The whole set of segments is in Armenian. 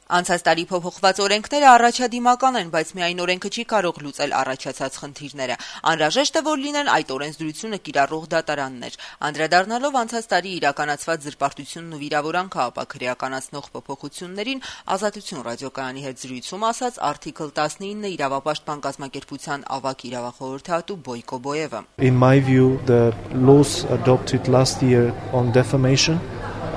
Անցած տարի փոփոխված օրենքները առաջադիմական են, բայց միայն օրենքը չի կարող լուծել առաջացած խնդիրները։ Անհրաժեշտ է, որ լինեն այդ օրենսդրությունը կիրառող դատարաններ։ Անդրադառնալով անցած տարի իրականացված զրպարտությունն ու վիրավորանքը ապա քրեականացնող փոփոխություններին, Ազատություն ռադիոկայանի հետ զրույցում ասաց Article 19 իրավապաշտպան կազմակերպության ավագ իրավախորհրդատու Բոյկո Բոևը. In my view, the laws adopted last year on defamation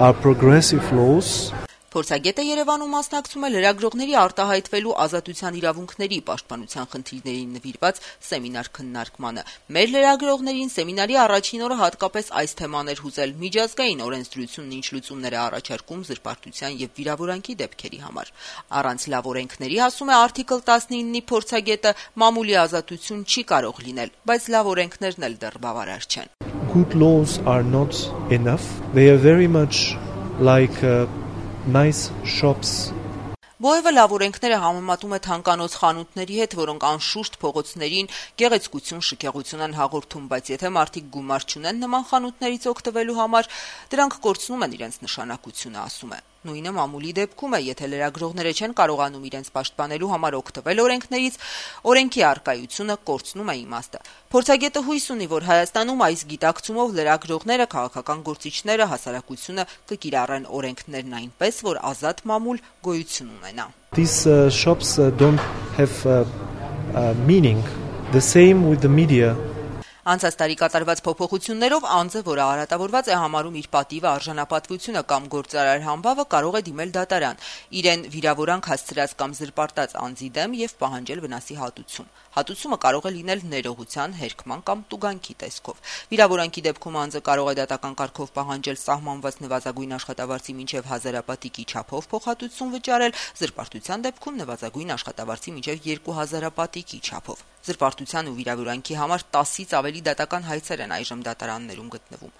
are progressive laws. Փորձագետը Երևանում մասնակցում է լրագրողների արտահայտվելու ազատության իրավունքների պաշտպանության խնդիրներին նվիրված սեմինար քննարկմանը։ Մեր լրագրողներին սեմինարի առաջին օրը հատկապես այս թեման էր հուզել միջազգային օրենսդրությունն ինչ լուծումներ է առաջարկում զրպարտության եւ վիրավորանքի դեպքերի համար։ Առանց լավ օրենքների, ասում է Article 19-ի փորձագետը, մամուլի ազատություն չի կարող լինել, բայց լավ օրենքներն էլ դեռ բավարար չեն։ Good laws are not enough. They are very much like nice shops. Բոևը լավ օրենքները համեմատում է թանկանոց խանութների հետ, որոնք անշուշտ փողոցներին գեղեցկություն, շքեղություն են հաղորդում, բայց եթե մարդիկ գումար չունեն նման խանութներից օգտվելու համար, դրանք կորցնում են իրենց նշանակությունը, ասում է։ Նույնը մամուլի դեպքում է, եթե լրագրողները չեն կարողանում իրենց պաշտպանելու համար օգտվել օրենքներից, օրենքի առկայությունը կորցնում է իմաստը։ Փորձագետը հույս ունի, որ Հայաստանում այս գիտակցումով լրագրողները, քաղաքական գործիչները, հասարակությունը կկիրառեն օրենքներն այնպես, որ ազատ մամուլ գոյություն ունենա։ These shops don't have meaning. The same with the media. Անցած տարի կատարված փոփոխություններով անձը, որը արատավորված է համարում իր պատիվը, արժանապատվությունը կամ գործարար համբավը, կարող է դիմել դատարան, իրեն վիրավորանք հասցրած կամ զրպարտած անձի դեմ եւ պահանջել վնասի հատուցում։ Հատուցումը կարող է լինել ներողության, հերքման կամ տուգանքի տեսքով։ Վիրավորանքի դեպքում անձը կարող է դատական կարգով պահանջել սահմանված նվազագույն աշխատավարձի մինչև 1000 պատիկի չափով փոխհատուցում վճարել, զրպարտության դեպքում նվազագույն աշխատավարձի մինչև 2000 պատիկի չափով։ Զրպարտության ու վիրավորանքի համար 10-ից ավելի դատական հայցեր են այժմ դատարաններում գտնվում։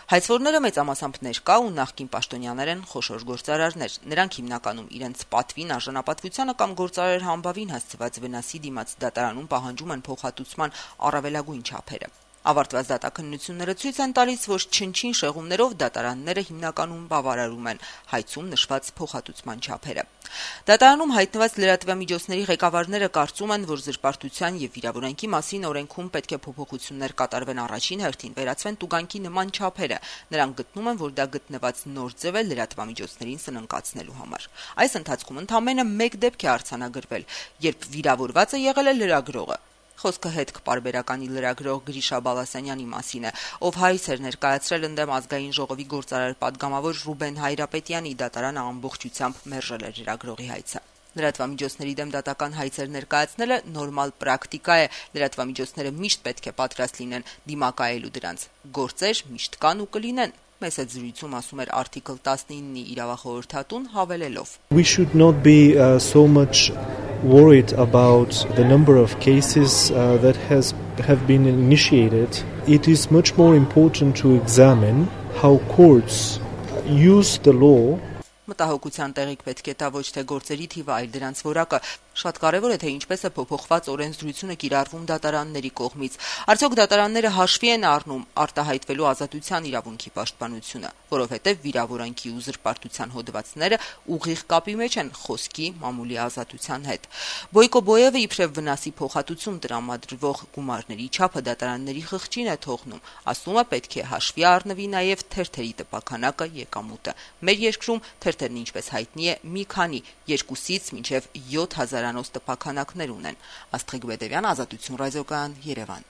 Հայցվորները մեծամասամբ ներկա ու նախկին պաշտոնյաներ են, խոշոր գործարարներ։ Նրանք հիմնականում իրենց պատվին, արժանապատվությանը կամ գործարար համբավին հասցված վնասի դիմաց դատարանում պահանջում են փոխհատուցման առավելագույն չափերը։ Ավարտված դատաքննությունները ցույց են տալիս, որ չնչին շեղումներով դատարանները հիմնականում բավարարում են հայցում նշված փոխհատուցման չափերը։ Դատարանում հայտնված լրատվամիջոցների ղեկավարները կարծում են, որ զրպարտության եւ վիրավորանքի մասին օրենքում պետք է փոփոխություններ կատարվեն առաջին հերթին, վերացվեն տուգանքի նման չափերը։ Նրանք գտնում են, որ դա գտնված նոր ձև է լրատվամիջոցներին սննկացնելու համար։ Այս ընթացքում ընդամենը 1 դեպք է արձանագրվել, երբ վիրավորվածը եղել է լրագրողը։ Խոսքը հետ կպարբերականի լրագրող Գրիշա Բալասանյանի մասին է, ով հայց էր ներկայացրել ընդդեմ ազգային ժողովի գործարար պատգամավոր Ռուբեն Հայրապետյանի, դատարանը ամբողջությամբ մերժել էր լրագրողի հայցը։ Լրատվամիջոցների դեմ դատական հայցեր ներկայացնելը նորմալ պրակտիկա է, լրատվամիջոցները միշտ պետք է պատրաստ լինեն դիմակայելու դրանց։ Գործեր միշտ կան ու կլինեն։ Մեծ զրույցում ասում էր Article 19-ի իրավախորհրդատուն հավելելով. We should not be so much worried about the number of cases that have been initiated. It is much more important to examine how courts use the law. Մտահոգության տեղիք պետք է տա ոչ թե գործերի թիվը, այլ դրանց որակը։ Շատ կարևոր է, թե ինչպես է փոփոխված օրենսդրությունը կիրառվում դատարանների կողմից։ Արդյոք դատարանները հաշվի են առնում արտահայտվելու ազատության իրավունքի պաշտպանությունը, որովհետև վիրավորանքի ու զրպարտության հոդվածները ուղիղ կապի մեջ են խոսքի, մամուլի ազատության հետ։ Բոյկո Բոևը իբրև վնասի փոխհատուցում տրամադրվող գումարների չափը դատարանների խղճին է թողնում։ Ասում է, պետք է հաշվի առնվի նաև թերթերի տպաքանակը, եկամուտը։ Մեր երկրում թերթերն, ինչպես հայտնի է, մի քանի 2-ից մինչև 7000-անոց տպաքանակներ ունեն։ Աստղիկ Բեդևյան, Ազատություն ռադիոկայան, Երևան։